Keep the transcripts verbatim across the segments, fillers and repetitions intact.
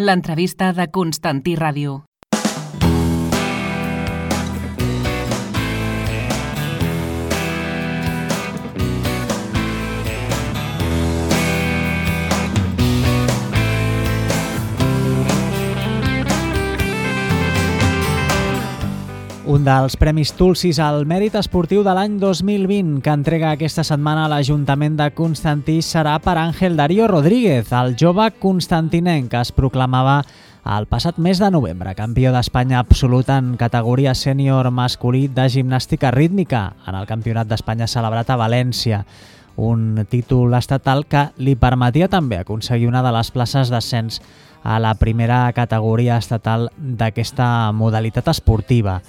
L'entrevista de Constantí Ràdio. Un dels Premis Tulsis al mèrit esportiu de l'any dos mil vint que entrega aquesta setmana a l'Ajuntament de Constantí serà per Ángel Darío Rodríguez, el jove constantinenc que es proclamava el passat mes de novembre campió d'Espanya absolut en categoria sènior masculí de gimnàstica rítmica en el Campionat d'Espanya celebrat a València. Un títol estatal que li permetia també aconseguir una de les places d'ascens a la primera categoria estatal d'aquesta modalitat esportiva.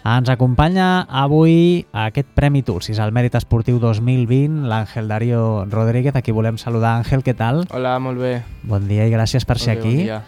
Ens acompanya avui aquest Premi Tulsis al mèrit esportiu dos mil vint, l'Ángel Darío Rodríguez, a qui volem saludar. Àngel, què tal? Hola, molt bé. Bon dia i gràcies per ser aquí. Bon dia.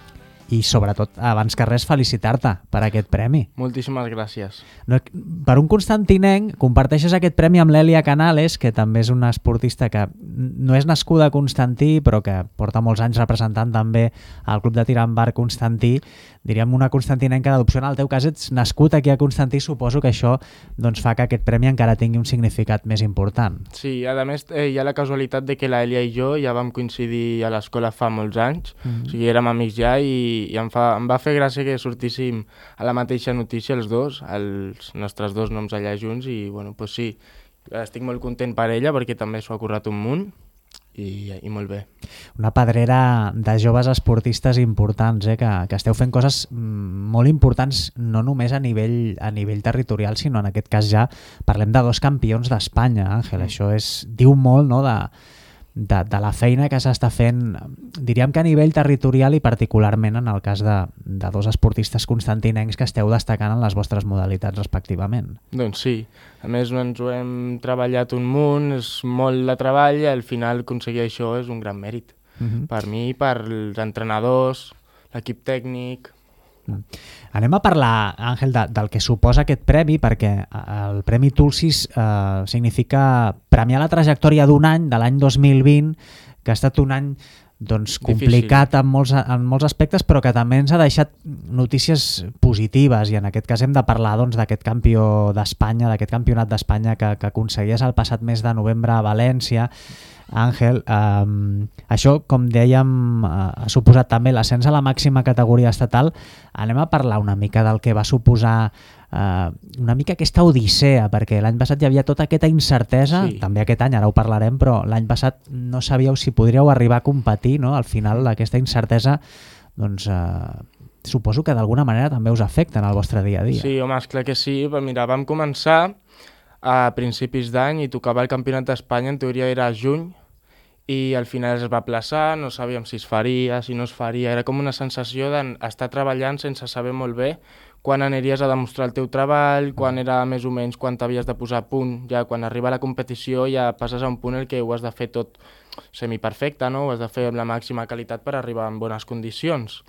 I sobretot, abans que res, felicitar-te per aquest premi. Moltíssimes gràcies. No, per un constantinenc, comparteixes aquest premi amb l'Èlia Canales, que també és una esportista que no és nascuda a Constantí, però que porta molts anys representant també el Club de Tir amb Arc Constantí. Diríem una constantinenca d'adopció. En el teu cas ets nascut aquí a Constantí, suposo que això doncs, fa que aquest premi encara tingui un significat més important. Sí, a més eh, hi ha la casualitat de que l'Èlia i jo ja vam coincidir a l'escola fa molts anys, mm-hmm. O sigui, érem amics ja i i em, fa, em va fer gràcia que sortíssim a la mateixa notícia els dos, els nostres dos noms allà junts i bueno, pues sí, estic molt content per ella perquè també s'ho ha currat un munt i, i molt bé. Una pedrera de joves esportistes importants, eh, que, que esteu fent coses molt importants no només a nivell, a nivell territorial, sinó en aquest cas ja parlem de dos campions d'Espanya, Àngel, mm. Això és, diu molt, no?, de... De, de la feina que s'està fent, diríem que a nivell territorial i particularment en el cas de, de dos esportistes constantinencs que esteu destacant en les vostres modalitats respectivament. Doncs sí, a més ens ho hem treballat un munt, és molt de treball i al final aconseguir això és un gran mèrit. Uh-huh. Per mi, per els entrenadors, l'equip tècnic... Anem a parlar, Àngel, de, del que suposa aquest premi, perquè el Premi Tulsis eh, significa premiar la trajectòria d'un any, de l'any dos mil vint, que ha estat un any doncs, complicat en molts, en molts aspectes, però que també ens ha deixat notícies positives, i en aquest cas hem de parlar doncs, d'aquest campió d'Espanya, d'aquest campionat d'Espanya que, que aconseguies el passat mes de novembre a València. Àngel, eh, això, com dèiem, eh, ha suposat també l'ascens a la màxima categoria estatal. Anem a parlar una mica del que va suposar eh, una mica aquesta odissea, perquè l'any passat hi havia tota aquesta incertesa, sí. També aquest any, ara ho parlarem, però l'any passat no sabíeu si podríeu arribar a competir, no? Al final aquesta incertesa, doncs... Eh, suposo que d'alguna manera també us afecta en el vostre dia a dia. Sí, home, esclar que sí. Mira, vam començar a principis d'any i tocava el Campionat d'Espanya, en teoria era a juny, i al final es va aplaçar, no sabíem si es faria, si no es faria, era com una sensació d'estar treballant sense saber molt bé quan aniries a demostrar el teu treball, quan era més o menys quan t'havies de posar a punt, ja quan arriba la competició ja passes a un punt en què ho has de fer tot semiperfecte, no? Ho has de fer amb la màxima qualitat per arribar en bones condicions.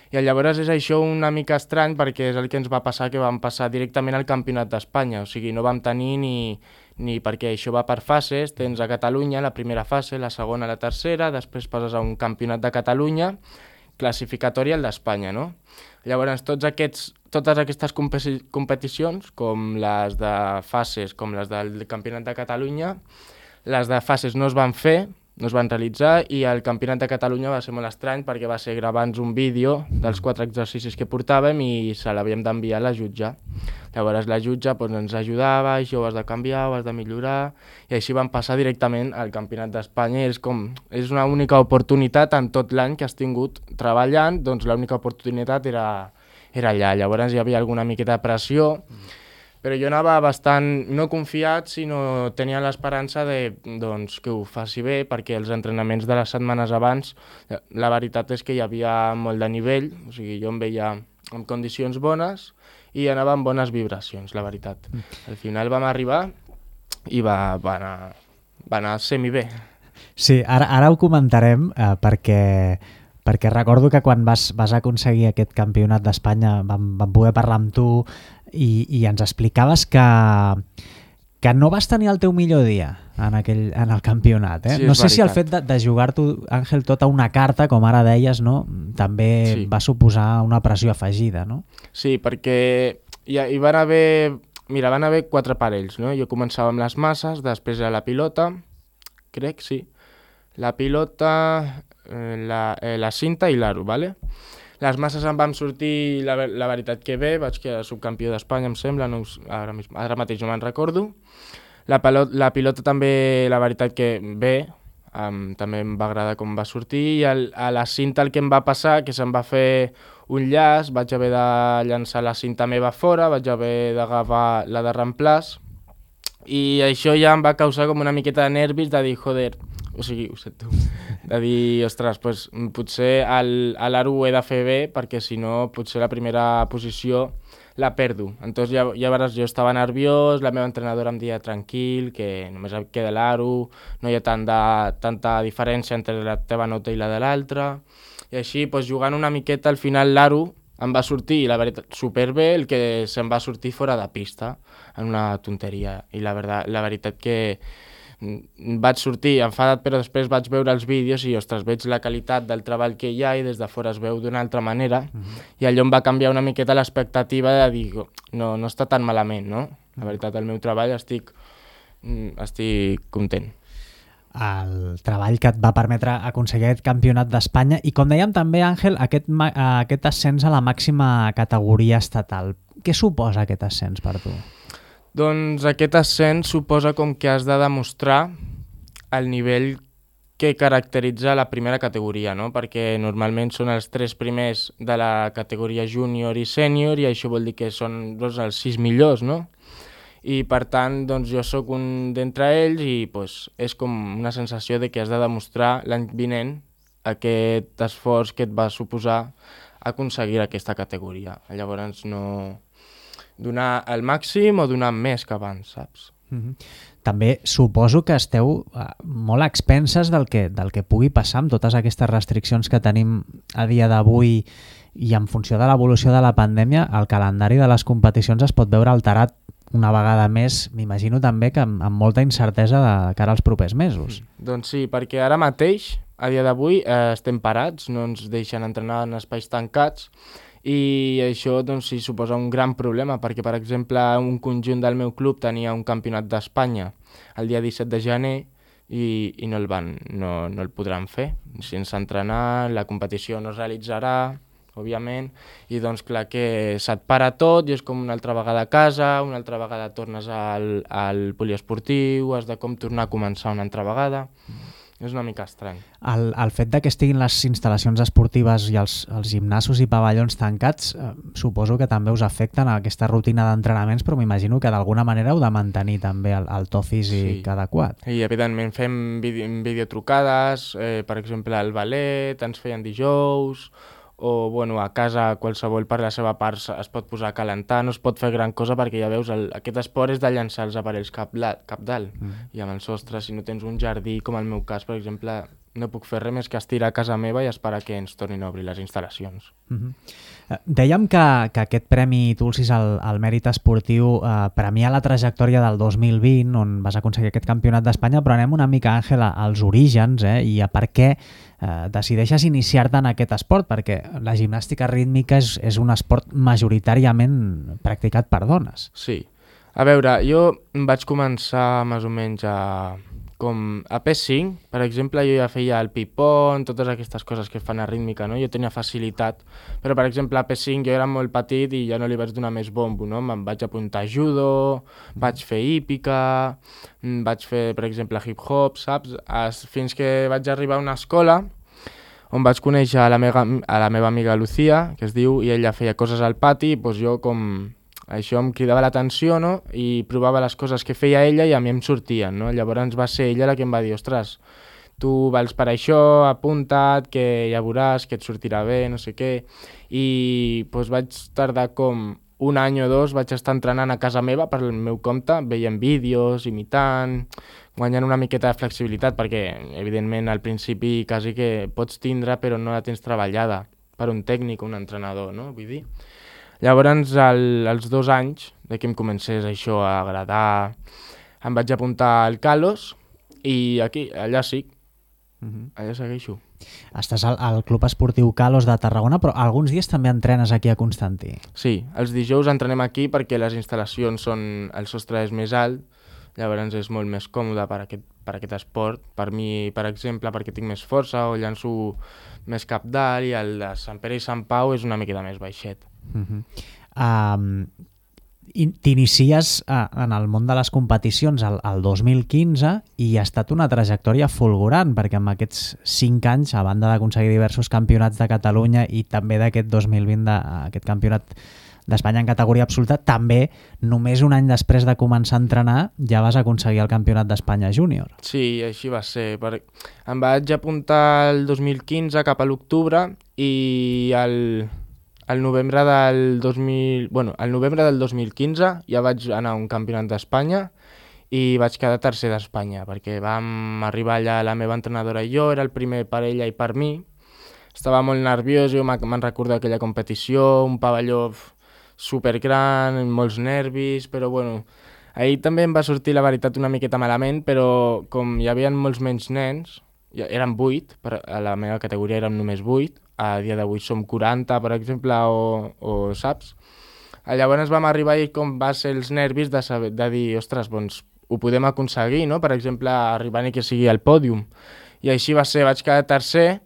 I llavors és això una mica estrany perquè és el que ens va passar, que vam passar directament al Campionat d'Espanya, o sigui, no vam tenir ni, ni perquè això va per fases, tens a Catalunya la primera fase, la segona, la tercera, després passes a un Campionat de Catalunya, classificatori al d'Espanya, no? Llavors, tots aquests, totes aquestes competicions, com les de fases, com les del Campionat de Catalunya, les de fases no es van fer, no es van realitzar, i el Campionat de Catalunya va ser molt estrany perquè va ser gravar-nos un vídeo dels quatre exercicis que portàvem i se l'havíem d'enviar a la jutge. Llavors la jutge doncs, ens ajudava, això ho has de canviar, ho has de millorar, i així vam passar directament al Campionat d'Espanya. És, com, és una única oportunitat en tot l'any que has tingut treballant, doncs l'única oportunitat era, era allà. Llavors hi havia alguna miqueta de pressió, però jo anava bastant, no confiat, sinó tenia l'esperança de, doncs, que ho faci bé, perquè els entrenaments de les setmanes abans, la veritat és que hi havia molt de nivell, o sigui, jo em veia en condicions bones i anava amb bones vibracions, la veritat. Al final vam arribar i va, va, anar, va anar semi-bé. Sí, ara, ara ho comentarem eh, perquè... perquè recordo que quan vas, vas aconseguir aquest campionat d'Espanya vam, vam poder parlar amb tu i, i ens explicaves que, que no vas tenir el teu millor dia en, aquell, en el campionat. Eh? Sí, no sé veritat. si el fet de, de jugar-t'ho, Àngel, tota una carta, com ara deies, no? també Sí. va suposar una pressió afegida, no? Sí, perquè hi, hi van haver... Mira, van haver quatre parells, no? Jo començava amb les masses, després era la pilota, crec, sí. La pilota, eh, la, eh, la cinta i l'aro, ¿vale? Les masses em van sortir, la, la veritat que bé, vaig quedar subcampió d'Espanya, em sembla, no, us- ara, mis- ara mateix no me'n recordo. La, pelot, la pilota també, la veritat que bé, um, també em va agradar com va sortir, i el, a la cinta el que em va passar, que se'm va fer un llaç, vaig haver de llançar la cinta meva fora, vaig haver d'agafar la de reemplaç, i això ja em va causar com una miqueta de nervis de dir, joder, o sigui, ho sé tu, de dir, ostres, pues, potser el- a l'aro ho he de fer bé, perquè si no, potser la primera posició la perdo. Entonces, ja, llavors jo estava nerviós, la meva entrenadora em deia tranquil, que només em queda l'aro, no hi ha tant de, tanta diferència entre la teva nota i la de l'altra, i així, pues, jugant una miqueta, al final l'aro em va sortir, la veritat, superbé, el que se'm va sortir fora de pista, en una tonteria, i la, verdad, la veritat que mm, vaig sortir enfadat, però després vaig veure els vídeos i, ostres, veig la qualitat del treball que hi ha i des de fora es veu d'una altra manera, mm-hmm. i allò em va canviar una miqueta l'expectativa de dir, no, no està tan malament, no? La veritat, el meu treball estic, mm, estic content. El treball que et va permetre aconseguir aquest campionat d'Espanya i, com dèiem també, Àngel, aquest, ma- aquest ascens a la màxima categoria estatal. Què suposa aquest ascens per tu? Doncs aquest ascens suposa com que has de demostrar el nivell que caracteritza la primera categoria, no? Perquè normalment són els tres primers de la categoria júnior i sènior, i això vol dir que són doncs, els sis millors, no? I per tant, doncs, jo sóc un d'entre ells i pues, és com una sensació de que has de demostrar l'any vinent aquest esforç que et va suposar aconseguir aquesta categoria. Llavors no donar el màxim o donar més que abans, saps? Mm-hmm. També suposo que esteu eh, molt a expenses del que, del que pugui passar amb totes aquestes restriccions que tenim a dia d'avui, i en funció de l'evolució de la pandèmia el calendari de les competicions es pot veure alterat una vegada més, m'imagino també que amb, amb molta incertesa de cara als propers mesos. Mm. Doncs sí, perquè ara mateix, a dia d'avui, eh, estem parats, no ens deixen entrenar en espais tancats, i això doncs, sí, suposa un gran problema, perquè, per exemple, un conjunt del meu club tenia un campionat d'Espanya el dia disset de gener i, i no, el van, no, no el podran fer. Sense entrenar, la competició no es realitzarà, òbviament, i doncs clar que se't para tot i és com una altra vegada a casa, una altra vegada tornes al, al poliesportiu, has de com tornar a començar una altra vegada. Mm. És una mica estrany. El, el fet de que estiguin les instal·lacions esportives i els, els gimnasos i pavellons tancats, eh, suposo que també us afecten a aquesta rutina d'entrenaments, però m'imagino que d'alguna manera heu de mantenir també el, el to físic sí. adequat. I evidentment fem vide videotrucades, eh, per exemple el ballet, ens feien dijous, o bueno, a casa qualsevol per la seva part es pot posar a calentar, no es pot fer gran cosa perquè ja veus, el, aquest esport és de llançar els aparells cap, la, cap dalt, mm. i amb el sostre, si no tens un jardí, com el meu cas, per exemple, no puc fer res més que estirar a casa meva i esperar que ens tornin a obrir les instal·lacions. Mm-hmm. Dèiem que, que aquest Premi Tulsis al, al mèrit esportiu eh, premia la trajectòria del dos mil vint, on vas aconseguir aquest campionat d'Espanya, però anem una mica, Àngel, als orígens, eh, i a per què eh, decideixes iniciar-te en aquest esport, perquè la gimnàstica rítmica és, és un esport majoritàriament practicat per dones. Sí. A veure, jo vaig començar més o menys a... com a P cinc, per exemple, jo ja feia el ping-pong, totes aquestes coses que es fan a rítmica, no? Jo tenia facilitat, però per exemple a P cinc jo era molt petit i ja no li vaig donar més bombo, no? Me'n vaig apuntar a judo, vaig fer hípica, vaig fer, per exemple, hip-hop, saps? Fins que vaig arribar a una escola on vaig conèixer a la meva, a la meva amiga Lucía, que es diu, i ella feia coses al pati, i doncs jo com... Això em cridava l'atenció, no? I provava les coses que feia ella i a mi em sortien, no? Llavors va ser ella la que em va dir, ostres, tu vals per això, apunta't, que ja veuràs, que et sortirà bé, no sé què. I doncs vaig tardar com un any o dos, vaig estar entrenant a casa meva per el meu compte, veient vídeos, imitant, guanyant una miqueta de flexibilitat, perquè evidentment al principi quasi que pots tindre però no la tens treballada per un tècnic o un entrenador, no? Vull dir... Llavors, al, als dos anys de que em comencés això a agradar, em vaig apuntar al Kalos i aquí, allà sí, Uh-huh. allà segueixo. Estàs al, al Club Esportiu Kalos de Tarragona, però alguns dies també entrenes aquí a Constantí. Sí, els dijous entrenem aquí perquè les instal·lacions són, el sostre és més alt, llavors és molt més còmode per aquest, per aquest esport. Per mi, per exemple, perquè tinc més força o llanço més cap dalt, i el de Sant Pere i Sant Pau és una miqueta més baixet. Uh-huh. Um, T'inicies uh, en el món de les competicions el, el dos mil quinze i ha estat una trajectòria fulgurant, perquè en aquests cinc anys, a banda d'aconseguir diversos campionats de Catalunya i també d'aquest dos mil vint, de, aquest campionat d'Espanya en categoria absoluta, també només un any després de començar a entrenar ja vas aconseguir el campionat d'Espanya júnior. Sí, així va ser. Per... Em vaig apuntar el dos mil quinze cap a l'octubre i el... El novembre del dos mil... Bueno, el novembre del dos mil quinze ja vaig anar a un campionat d'Espanya i vaig quedar tercer d'Espanya, perquè vam arribar allà la meva entrenadora i jo, era el primer per ella i per mi. Estava molt nerviós, jo me'n recordo aquella competició, un pavelló supergran, molts nervis, però bueno, ahir també em va sortir la veritat una miqueta malament, però com hi havia molts menys nens, eren vuit, a la meva categoria érem només vuit, a dia d'avui som quaranta, per exemple, o, o saps? Llavors vam arribar i com va ser els nervis de, saber, de dir, ostres, doncs ho podem aconseguir, no? Per exemple, arribar ni que sigui al pòdium. I així va ser, vaig quedar tercer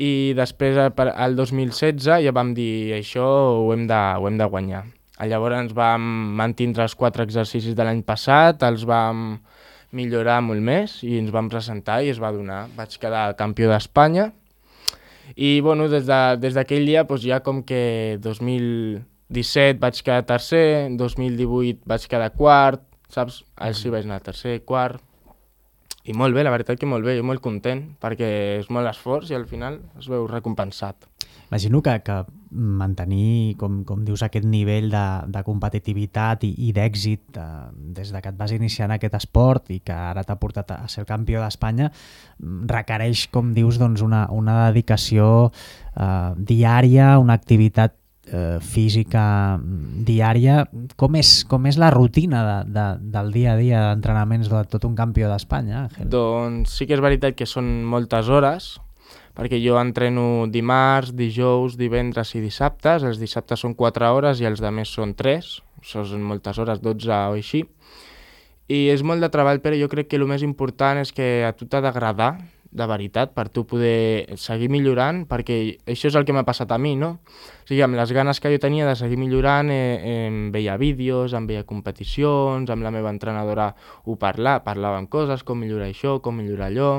i després, al dos mil setze, ja vam dir, això ho hem de, ho hem de guanyar. Llavors ens vam mantindre els quatre exercicis de l'any passat, els vam millorar molt més i ens vam presentar i es va donar. Vaig quedar campió d'Espanya. I bueno, des d'aquell de, dia doncs ja com que dos mil disset vaig quedar tercer, dos mil divuit vaig quedar quart, saps? Així vaig anar tercer, quart, i molt bé, la veritat que molt bé, jo molt content, perquè és molt esforç i al final es veu recompensat. Imagino que, que mantenir, com, com dius, aquest nivell de, de competitivitat i, i d'èxit eh, des de que et vas iniciar en aquest esport i que ara t'ha portat a ser el campió d'Espanya requereix, com dius, doncs una, una dedicació eh, diària, una activitat eh, física diària. Com és, com és la rutina de, de, del dia a dia d'entrenaments de tot un campió d'Espanya, Àngel? Doncs sí que és veritat que són moltes hores, perquè jo entreno dimarts, dijous, divendres i dissabtes. Els dissabtes són quatre hores i els altres són tres, són moltes hores, dotze o així. I és molt de treball, però jo crec que el més important és que a tu t'ha d'agradar, de veritat, per tu poder seguir millorant, perquè això és el que m'ha passat a mi, no? O sigui, amb les ganes que jo tenia de seguir millorant, eh, em veia vídeos, em veia competicions, amb la meva entrenadora ho parlà, parlàvem coses, com millorar això, com millorar allò.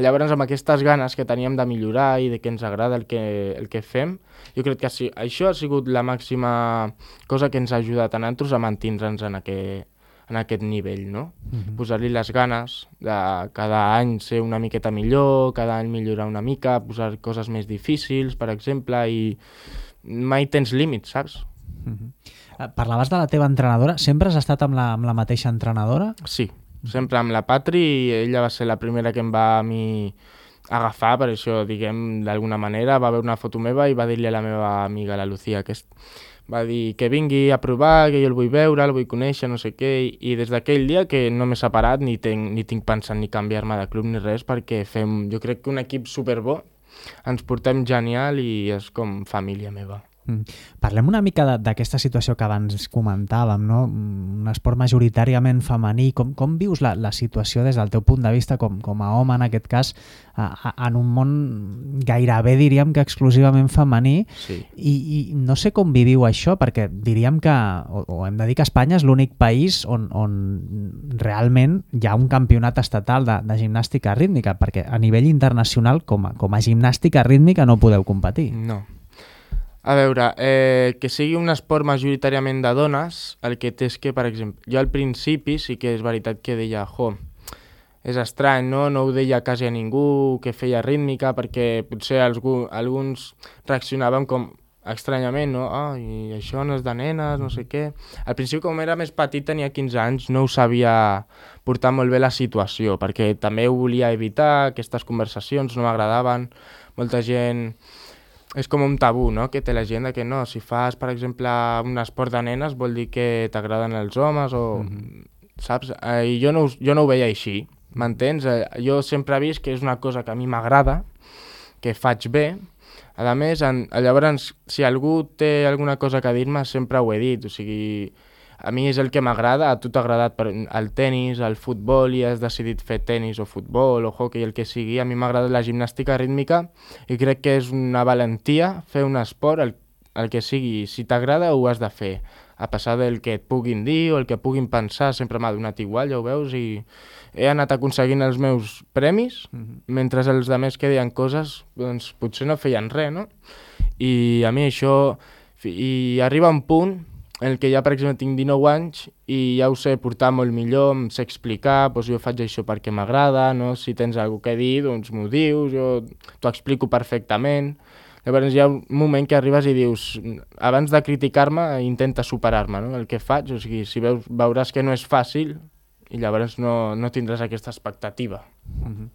Llavors, amb aquestes ganes que teníem de millorar i de que ens agrada el que, el que fem, jo crec que sí, això ha sigut la màxima cosa que ens ha ajudat a nosaltres a mantindre'ns en aquest, en aquest nivell, no? Uh-huh. Posar-li les ganes de cada any ser una miqueta millor, cada any millorar una mica, posar coses més difícils, per exemple, i mai tens límits, saps? Uh-huh. Parlaves de la teva entrenadora. Sempre has estat amb la, amb la mateixa entrenadora? Sí, sempre amb la Patri. Ella va ser la primera que em va a mi agafar, per això, diguem, d'alguna manera. Va veure una foto meva i va dir-li a la meva amiga, la Lucía, que va dir que vingui a provar, que jo el vull veure, el vull conèixer, no sé què, i des d'aquell dia que no m'he separat ni tinc, ni tinc pensat ni canviar-me de club ni res, perquè fem, jo crec que un equip superbo, ens portem genial i és com família meva. Mm. Parlem una mica d'aquesta situació que abans comentàvem, no? Un esport majoritàriament femení. Com, com vius la, la situació des del teu punt de vista com, com a home, en aquest cas, a, a, en un món gairebé, diríem que exclusivament femení? Sí. I, I no sé com viviu això, perquè diríem que, o, o hem de dir que Espanya és l'únic país on, on realment hi ha un campionat estatal de, de gimnàstica rítmica, perquè a nivell internacional, com a, com a gimnàstica rítmica, no podeu competir. No. A veure, eh, que sigui un esport majoritàriament de dones, el que té és que, per exemple, jo al principi sí que és veritat que deia, jo, és estrany, no? No ho deia quasi a ningú que feia rítmica, perquè potser algú, alguns reaccionaven com estranyament, no? Ah, i això no és de nenes, no sé què. Al principi, com era més petit, tenia quinze anys, no ho sabia portar molt bé la situació, perquè també ho volia evitar, aquestes conversacions no m'agradaven, molta gent... És com un tabú, no?, que té la gent, que no, si fas, per exemple, un esport de nenes vol dir que t'agraden els homes o... Mm-hmm. saps? Eh, I jo no, jo no ho veia així, m'entens? Eh, jo sempre he vist que és una cosa que a mi m'agrada, que faig bé. A més, en, llavors, si algú té alguna cosa que dir-me, sempre ho he dit, o sigui, a mi és el que m'agrada, a tu t'ha agradat el tennis, el futbol, i has decidit fer tennis o futbol o hockey, el que sigui. A mi m'ha agradat la gimnàstica rítmica i crec que és una valentia fer un esport, el, el que sigui. Si t'agrada, ho has de fer. A passar del que et puguin dir o el que puguin pensar, sempre m'ha donat igual, ja ho veus, i he anat aconseguint els meus premis, mm-hmm. mentre els altres que deien coses, doncs potser no feien res, no? I a mi això... I arriba un punt en què ja, per exemple, tinc dinou anys i ja ho sé portar molt millor, em sé explicar, doncs jo faig això perquè m'agrada, no? Si tens alguna cosa a dir, doncs m'ho dius, jo t'ho explico perfectament. Llavors hi ha un moment que arribes i dius, abans de criticar-me, intenta superar-me, no? El que faig, o sigui, si veus, veuràs que no és fàcil i llavors no, no tindràs aquesta expectativa. Mm-hmm.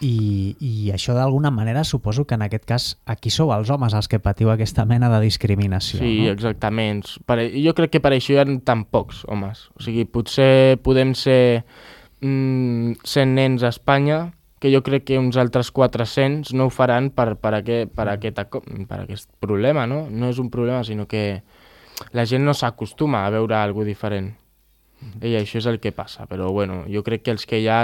I, i això d'alguna manera suposo que en aquest cas aquí sou els homes els que patiu aquesta mena de discriminació. Sí, no? Exactament. Per, jo crec que per això hi ha tan pocs homes. O sigui, potser podem ser mm, cent nens a Espanya, que jo crec que uns altres quatre-cents no ho faran per, per, aquest, per, aquest, per aquest problema, no? No és un problema, sinó que la gent no s'acostuma a veure alguna cosa diferent. Mm-hmm. I això és el que passa. Però bueno, jo crec que els que hi ha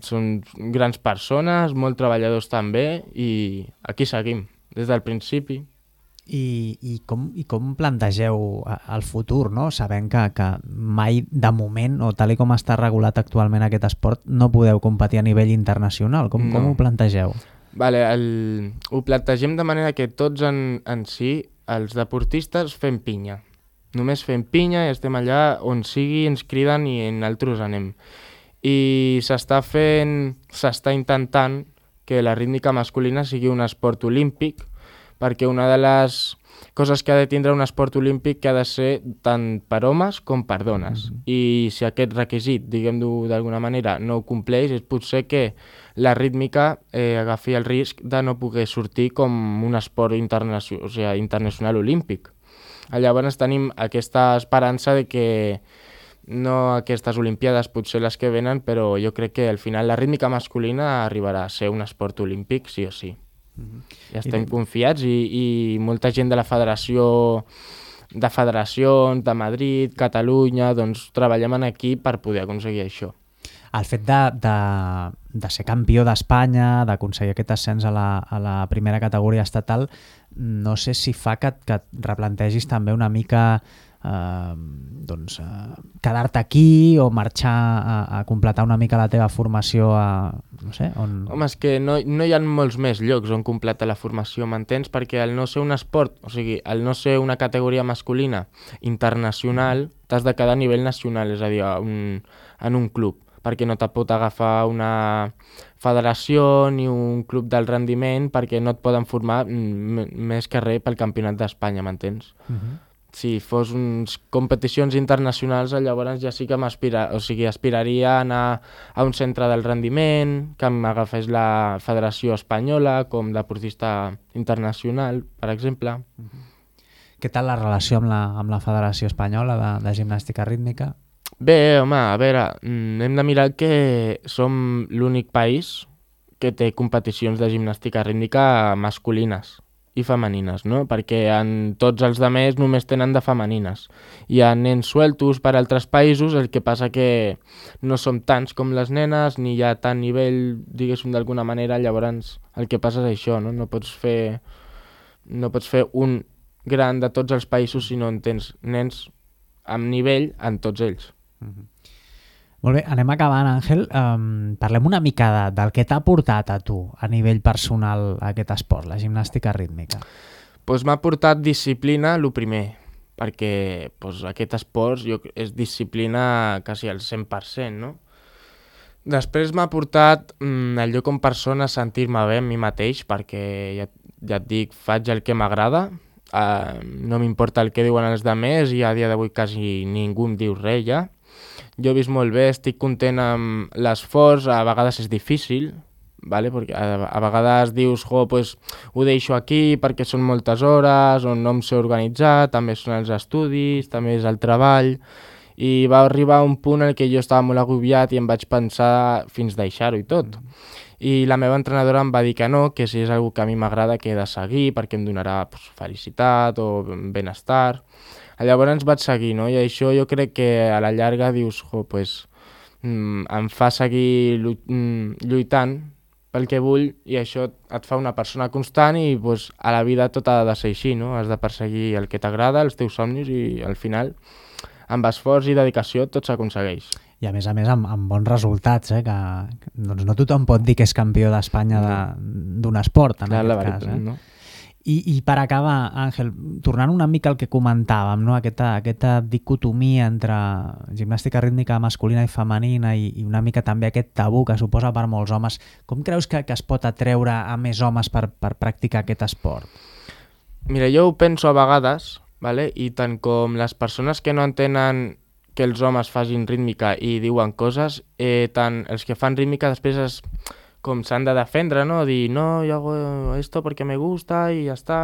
són grans persones, molt treballadors també, i aquí seguim, des del principi. I, i, com, i com plantegeu el futur, no? Sabent que, que mai de moment, o tal i com està regulat actualment aquest esport, no podeu competir a nivell internacional. Com, no. com ho plantegeu? Vale, el, ho plantegem de manera que tots en, en si, els deportistes, fem pinya. Només fem pinya i estem allà on sigui, ens criden i nosaltres anem. I s'està fent, s'està intentant que la rítmica masculina sigui un esport olímpic, perquè una de les coses que ha de tindre un esport olímpic que ha de ser tant per homes com per dones. Mm-hmm. I si aquest requisit, diguem-ho d'alguna manera, no ho compleix, és potser que la rítmica eh, agafi el risc de no poder sortir com un esport internacional, o sigui, internacional olímpic. Llavors tenim aquesta esperança de que no aquestes olimpiades, potser les que venen, però jo crec que al final la rítmica masculina arribarà a ser un esport olímpic, sí o sí. Mm-hmm. Ja estem I... confiats i, i molta gent de la federació, de federacions, de Madrid, Catalunya, doncs treballem en equip per poder aconseguir això. El fet de, de, de ser campió d'Espanya, d'aconseguir aquest ascens a la, a la primera categoria estatal, no sé si fa que, que et replantegis també una mica eh, doncs, eh, quedar-te aquí o marxar a, a completar una mica la teva formació a, no sé, on... Home, és que no, no hi ha molts més llocs on completar la formació, m'entens? Perquè al no ser un esport, o sigui, al no ser una categoria masculina internacional, t'has de quedar a nivell nacional, és a dir, un, en un club, perquè no te pot agafar una federació ni un club del rendiment, perquè no et poden formar m- més que res pel campionat d'Espanya, m'entens? Uh-huh. Si fos uns competicions internacionals, llavors ja sí que m'aspira, o sigui, aspiraria a anar a un centre del rendiment, que m'agafés la Federació Espanyola com deportista internacional, per exemple. Uh-huh. Què tal la relació amb la, amb la Federació Espanyola de, de Gimnàstica Rítmica? Bé, home, a veure, hem de mirar que som l'únic país que té competicions de gimnàstica rítmica masculines i femenines, no? Perquè en tots els altres només tenen de femenines. Hi ha nens sueltos per altres països, el que passa que no som tants com les nenes, ni hi ha tant nivell, diguéssim, d'alguna manera, llavors el que passa és això, no? No pots fer, no pots fer un gran de tots els països si no en tens nens amb nivell en tots ells. Mm-hmm. Molt bé, anem acabant, Àngel. Um, parlem una mica de, del que t'ha portat a tu a nivell personal aquest esport, la gimnàstica rítmica. Pues m'ha portat disciplina, el primer, perquè pues, aquest esport jo, és disciplina quasi al cent per cent, no? Després m'ha portat mm, allò com persona a sentir-me bé amb mi mateix, perquè ja, ja et dic, faig el que m'agrada, uh, no m'importa el que diuen els altres i a dia d'avui quasi ningú em diu res ja. Jo he vist molt bé, estic content amb l'esforç, a vegades és difícil, vale? Perquè a, a vegades dius, jo, pues, ho deixo aquí perquè són moltes hores, on no em sé organitzar, també són els estudis, també és el treball, I va arribar un punt en què jo estava molt agobiat i em vaig pensar fins deixar-ho i tot. I la meva entrenadora em va dir que no, que si és una que a mi m'agrada que he de seguir perquè em donarà pues, felicitat o benestar. Llavors vaig seguir, no? I això jo crec que a la llarga dius, jo, pues, mm, em fa seguir lluitant pel que vull i això et fa una persona constant i pues, a la vida tot ha de ser així, no? Has de perseguir el que t'agrada, els teus somnis i al final amb esforç i dedicació tot s'aconsegueix. I a més a més amb, amb bons resultats, eh? que doncs no tothom pot dir que és campió d'Espanya d'un de, esport, en Clar, aquest la veritat, cas. Eh? No? I, I per acabar, Àngel, tornant una mica al que comentàvem, no? aquesta, aquesta dicotomia entre gimnàstica rítmica masculina i femenina i, i una mica també aquest tabú que suposa per molts homes, com creus que, que es pot atreure a més homes per, per practicar aquest esport? Mira, jo ho penso a vegades, vale? I tant com les persones que no entenen que els homes facin rítmica i diuen coses, eh, tant els que fan rítmica després es, com s'han de defendre, no? Dir, no, yo hago esto porque me gusta i ja està.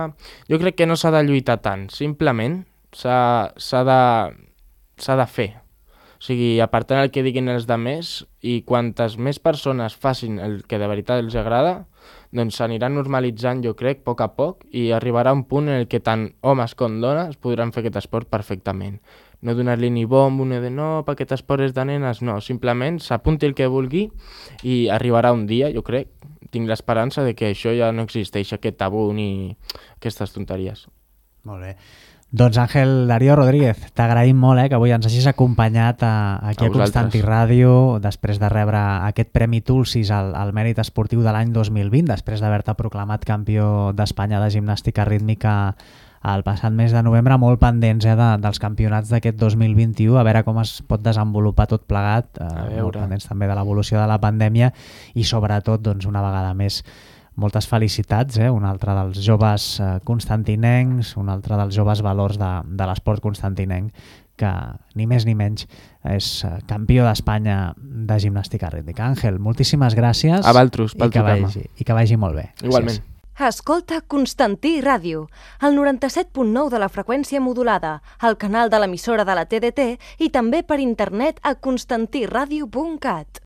Jo crec que no s'ha de lluitar tant, simplement s'ha de, s'ha de fer. O sigui, apartant el que diguin els demés i quantes més persones facin el que de veritat els agrada, doncs s'aniran normalitzant, jo crec, a poc a poc i arribarà un punt en el que tant homes com dones podran fer aquest esport perfectament. No donar-li ni bombo, ni de no, perquè aquest esport és de nenes, no, simplement s'apunti el que vulgui i arribarà un dia, jo crec, tinc l'esperança de que això ja no existeix, aquest tabú ni aquestes tonteries. Molt bé. Doncs Àngel Darío Rodríguez, t'agraïm molt eh, que avui ens hagis acompanyat a, aquí a, a Constanti Ràdio després de rebre aquest Premi Tulsis al, al mèrit esportiu de l'any dos mil vint, després d'haver-te proclamat campió d'Espanya de gimnàstica rítmica el passat mes de novembre, molt pendents eh, de, dels campionats d'aquest dos mil vint-i-u, a veure com es pot desenvolupar tot plegat, eh, molt pendents també de l'evolució de la pandèmia i sobretot, doncs, una vegada més, moltes felicitats, eh? un altre dels joves eh, constantinencs, un altre dels joves valors de, de l'esport constantinenc, que ni més ni menys és campió d'Espanya de gimnàstica rítmica. Àngel, moltíssimes gràcies. A vosaltres, pel i que vagi, i que vagi molt bé. Igualment. Gràcies. Escolta Constantí Ràdio, el noranta-set punt nou de la freqüència modulada, al canal de l'emissora de la T D T i també per internet a constantiradio punt cat.